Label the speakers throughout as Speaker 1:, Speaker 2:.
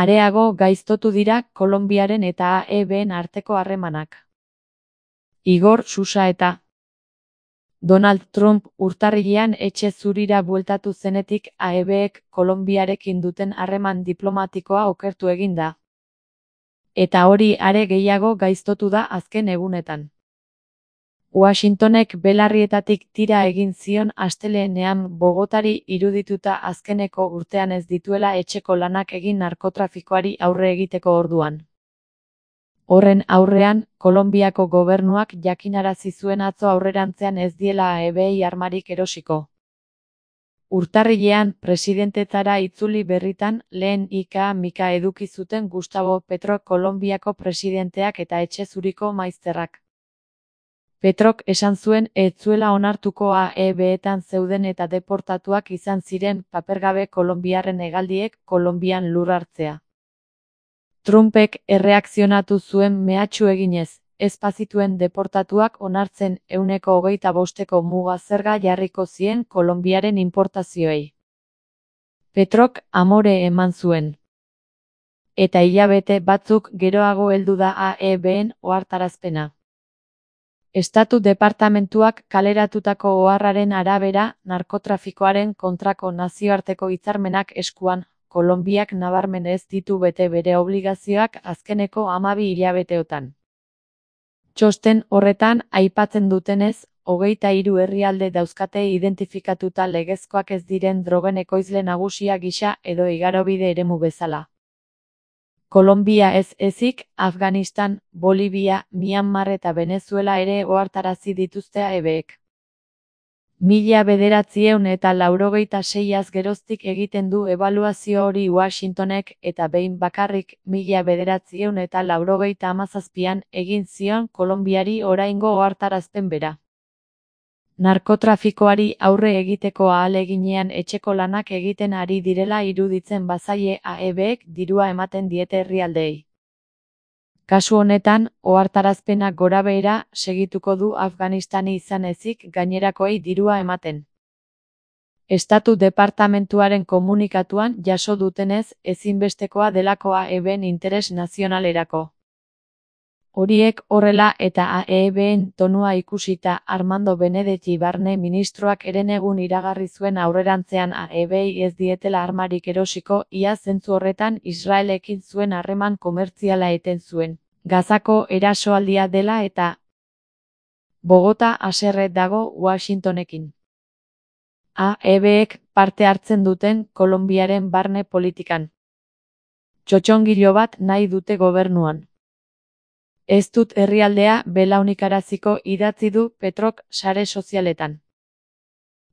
Speaker 1: Areago gaiztotu dira Kolonbiaren eta AEBen arteko harremanak. Igor Sousa eta Donald Trump urtarrilean etxe zurira bueltatu zenetik AEBek Kolonbiarekin duten harreman diplomatikoa okertu egin da. Eta hori are gehiago gaiztotu da azken egunetan. Washingtonek belarrietatik tira egin zion astelehenean Bogotari irudituta azkeneko urtean ez dituela etxeko lanak egin narkotrafikoari aurre egiteko orduan. Horren aurrean, Kolonbiako gobernuak jakinarazi zuen atzo aurrerantzean ez diela AEBei armarik erosiko. Urtarrilean, presidentetara itzuli berritan, lehen ika-mika eduki zuten Gustavo Petro Kolonbiako presidenteak eta etxe zuriko maizterrak. Petrok esan zuen ez zuela onartuko AEBetan zeuden eta deportatuak izan ziren papergabe kolonbiarren hegaldiek Kolonbian lur hartzea. Trumpek erreakzionatu zuen mehatxu eginez, ez bazituen deportatuak onartzen 25% muga zerga jarriko zien Kolonbiaren inportazioei. Petrok amore eman zuen. Eta hilabete batzuk geroago heldu da AEBen ohartarazpena. Estatu Departamentuak kaleratutako oharraren arabera, narkotrafikoaren kontrako nazioarteko hitzarmenak eskuan, Kolonbiak nabarmen ez ditu bete bere obligazioak azkeneko 12 hilabeteotan. Txosten horretan aipatzen dutenez, 23 herrialde dauzkate identifikatuta legezkoak ez diren drogen ekoizle nagusia gisa edo igarobide eremu bezala. Kolonbia ez ezik, Afganistan, Bolivia, Myanmar eta Venezuela ere ohartarazi dituzte AEBek. 1996 geroztik egiten du ebaluazio hori Washingtonek eta behin bakarrik 1997an egin zion Kolonbiari oraingo ohartarazpen bera. Narkotrafikoari aurre egiteko ahaleginean etxeko lanak egiten ari direla iruditzen bazaie AEBek dirua ematen diete herrialdeei. Kasu honetan, ohartarazpenak gorabehera segituko du Afganistani izan ezik gainerakoei dirua ematen. Estatu Departamentuaren komunikatuan jaso dutenez ezinbestekoa delako AEBen interes nazionalerako. Horiek horrela eta AEBen tonua ikusita Armando Benedetti barne ministroak herenegun iragarri zuen aurrerantzean AEBei ez dietela armarik erosiko ia zentzu horretan Israelekin zuen harreman komertziala eten zuen. Gazako erasoaldia dela eta Bogota haserre dago Washingtonekin. AEBek parte hartzen duten Kolonbiaren barne politikan. Txotxongilo bat nahi dute gobernuan. Ez dut herrialdea belaunikaraziko idatzi du Petrok sare sozialetan.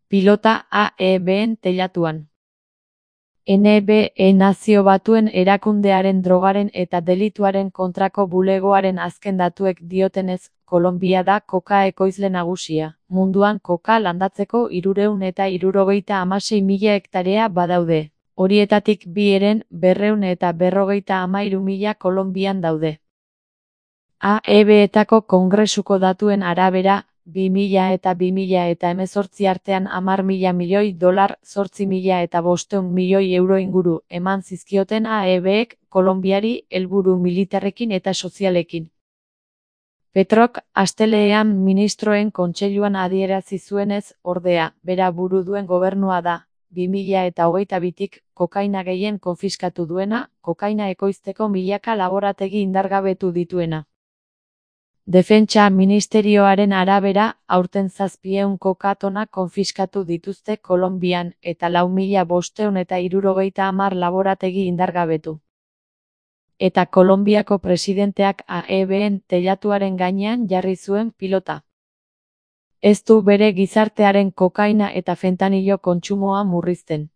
Speaker 1: Pilota AEBen teilatuan. NBE Nazio Batuen erakundearen drogaren eta delituaren kontrako bulegoaren azken datuek diotenez, Kolonbia da koka ekoizle nagusia. Munduan koka landatzeko 376.000 hektarea badaude. Horietatik 253.000 Kolonbian daude. AEBetako kongresuko datuen arabera, 2000 eta 2018 artean $10.000 milioi, 8.500 milioi euro inguru eman zizkioten AEBek Kolonbiari helburu militarrekin eta sozialekin. Petrok astelehenean ministroen kontseiluan adierazi zuenez, ordea, bera buru duen gobernua da, 2022tik kokaina gehien konfiskatu duena, kokaina ekoizteko milaka laborategi indargabetu dituena. Defentsa ministerioaren arabera, aurten 700 koka-tona konfiskatu dituzte Kolonbian eta 4.570 laborategi indargabetu. Eta Kolonbiako presidenteak AEBen teilatuaren gainean jarri zuen pilota. Ez du bere gizartearen kokaina eta fentanilo kontsumoa murrizten.